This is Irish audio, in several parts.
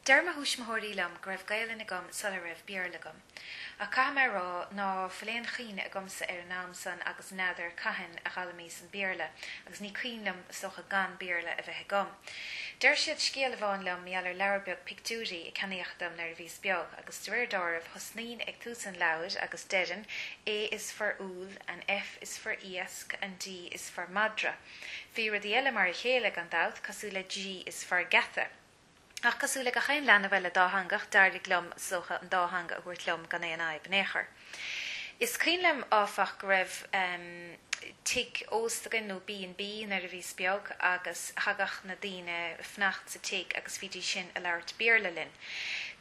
Deir mo thuismitheoirí liom go raibh Gaelainn agam sula raibh Béarla agam. Ach caithfidh mé a rá ná fuil aon chuimhne agamsa ar an am san agus n'fheadar cathain a d'fhoghlaimíos an Béarla agus ní cuimhin liom is dócha gan Béarla a bheith agam. Deir siad scéal amháin liom mar gheall ar leabhar beag pictiúirí a ceannaíodh dom nuair a bhíos beag agus de réir dealraimh thosnaínn ag tús an leabhair agus deirinn A is for úll and F is for iasc and D is for madra. Bhí rudaí eile mar a chéile gan dabht cosúil le G is for geata. Ach cosúil le gach aon leanbh eile dátheangach, d'éirigh liom, is dócha, an dá theanga a thabhairt liom gan aon fhadhb in aon chor. Is cuimhin liom, áfach, go raibh tigh ósta againn, nó B and B, nuair a bhíos beag agus thagadh na daoine a fanacht sa tigh agus bhídís sin a labhairt Béarla linn.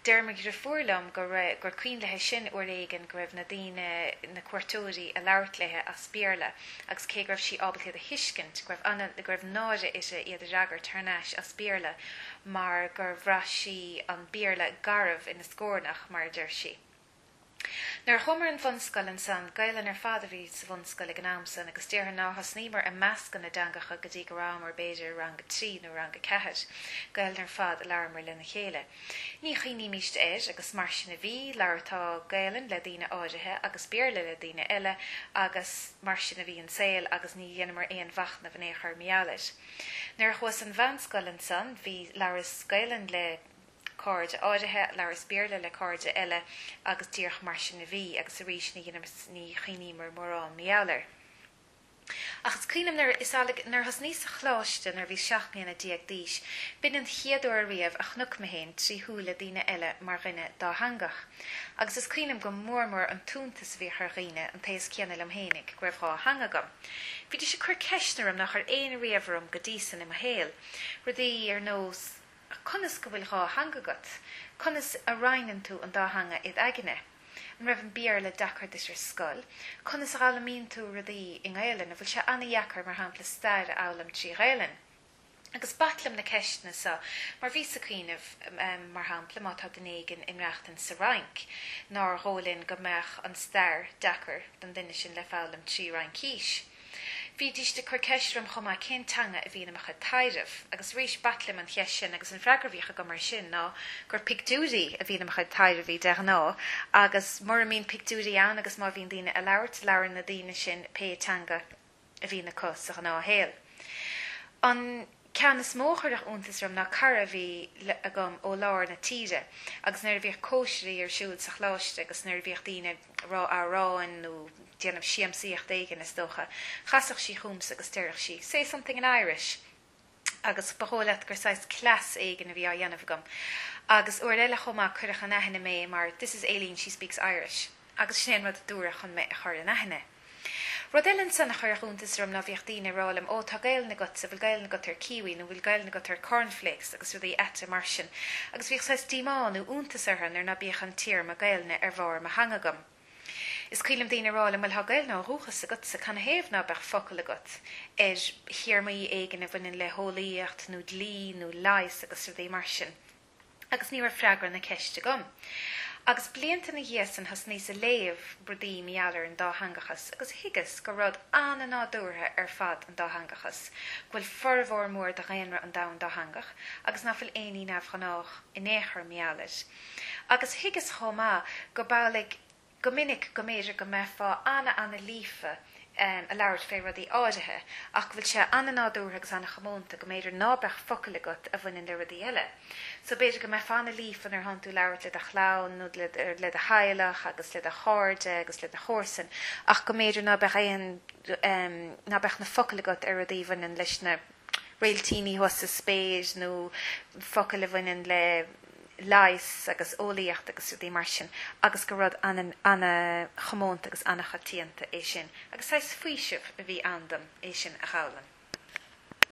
Deir mo dhriofúr liom go raibh, gur cuimhin léi sin uair éigin go raibh na daoine, na cuairteoirí, a labhairt léi as Béarla. agus cé go raibh sí ábalta iad a thuiscint, go raibh ana, go raibh náire uirthi iad a fhreagairt thar n-ais as Béarla mar gur bhraith sí an Béarla garbh ina scornach, mar a deir sí. Nuair a chuamar an bhunscoil ansan, Gaelainn ar fad a bhí sa bhunscoil ag an am san agus déarfainn nár thosnaíomar ag meascadh na dteangacha go dtí go rabhamar b'fhéidir i rang a trí nó rang a ceathair. Gaelainn ar fad a labhramar lena chéile. Ní chuimhnímíst air agus mar sin a bhí, labhartá Gaelainn le daoine áirithe agus Béarla le daoine eile agus mar sin a bhí an saol agus ní dheineamar aon mhachnamh in aon chor mar gheall air. Nuair a chuas an mheánscoil ansan bhí, labhras Gaelainn le cairde áirithe, labhras Béarla le cairde eile agus díreach mar sin a bhí agus arís ní dheineamar, ní chuimhníomar mórán mar gheall air. Ach is cuimhin liom nuair, is amhlaidh, nuair a thosnaíos sa choláiste nuair a bhíos 17 mbliana d'aois, b'in an chéad uair ariamh a chonac mé féin trí shúile daoine eile mar dhuine dátheangach. Agus is cuimhin liom go mór mór an t-iontas a bhíodh ar dhaoine, an t-aos céanna liom fhéinig, go raibh dhá theanga agam. Bhídís ag cur ceisteanna orm nár chuir éinne riamh orm go dtí san i mo shaol. Rudaí ar nós, Conas go bhfuil dhá theanga agat? Conas a roinneann tú an dá theanga id aigne? An raibh an Béarla deacair duit ar scoil? Conas a dh'fhoghlaimíonn tú rudaí i nGaelainn? An bhfuil sé ana-dheacair, mar shampla, stair a fhoghlaim trí Ghaelainn? Agus b'ait liom na ceisteanna so, mar bhíos ag cuimhneamh, mar shampla, má tá duine éigin ag maireachtaint sa Fhrainc, nár dhóigh linn go mbeadh an stair deacair don duine sin le foghlaim trí Fhraincís. Bhídíst ag cur ceist orm chomh maith cén teanga a bhíonn i mo chuid taidhreamh, agus arís b'ait liom an cheist sin agus an freagra a bhíodh agam air sin ná gur pictiúirí a bhíonn i mo chuid taidhreamhaí de ghnáth agus mura mbíonn pictiúirí ann agus má bhíonn daoine a labhairt, labhrann na daoine sin pé teanga a bhíonn acu sa ghnáthshaol. An ceann is mó a chuirfeadh iontas orm ná cara a bhí agam ó lár na tíre agus nuair a bhíodh cóisirí ar siúl sa choláiste agus nuair a bhíodh daoine ag rá amhráin nó déanamh siamsaíocht éigin, is dócha, chasfadh sí chugamsa agus deireadh sí, 'Say something in Irish! agus ba dhóigh leat gur saghas cleas éigin a bhí á dhéanamh agam. Agus uair eile chomh maith cuireadh in aithne mé mar 'This is Aileen, she speaks Irish. Agus sin é an rud a dúradh chun mé a chur in aithne. Rud eile ansan a chuirfeadh iontas orm ná bhíodh daoine ag rá liom, 'Ó, tá Gaelainn agatsa, bhfuil Gaelainn agat ar kiwi nó bhfuil Gaelainn agat ar cornflakes agus rudaí aite mar sin. Agus bhíodh saghas díomá nó iontas orthu nuair ná bíodh an téarma Gaelainne ar bharr mo theanga agam. Is cuimhin liom daoine ag rá liom, 'Bhuel, tá Gaelainn ó dhúchas agatsa, canathaobh ná beadh focal agat ar théarmaí éigin a bhaineann le heolaíocht nó dlí nó leigheas agus rudaí mar sin? Agus ní raibh freagra na ceiste agam. Agus blianta ina dhiaidh san thosnaíos a léamh rudaí mar gheall ar an dátheangachas agus thuigeas gur rud an-nádúrtha ar fad an dátheangachas, go bhfuil formhór mór de dhaonra an domhain dátheangach agus ná fuil aon ní neamhghnách in aon chor mar gheall air. Agus thuigeas chomh maith go b'amhlaidh go minic go mb'fhéidir go mbeifeá ana-ana-líofa a labhairt fé rudaí áirithe ach go bhfuil sé ana-nádúrtha agus ana-chomónta go mb'fhéidir ná beadh focail agat a bhaineann le rudaí eile. So b'fhéidir go mbeifeá ana-líofa nuair atánn tú ag labhairt le do chlann nó le do theaghlach agus le do chairde agus le do chomharsain ach go mb'fhéidir ná beadh aon, ná beadh na focail agat ar rudaí a bhaineann leis na réiltíní thuas sa spéir nó focail a bhaineann le leigheas agus eolaíocht agus rudaí mar sin agus gur rud ana-chomónta agus ana-choitianta é sin agus saghas faoiseamh a bhí ann dom é sin a dh'fhoghlaim.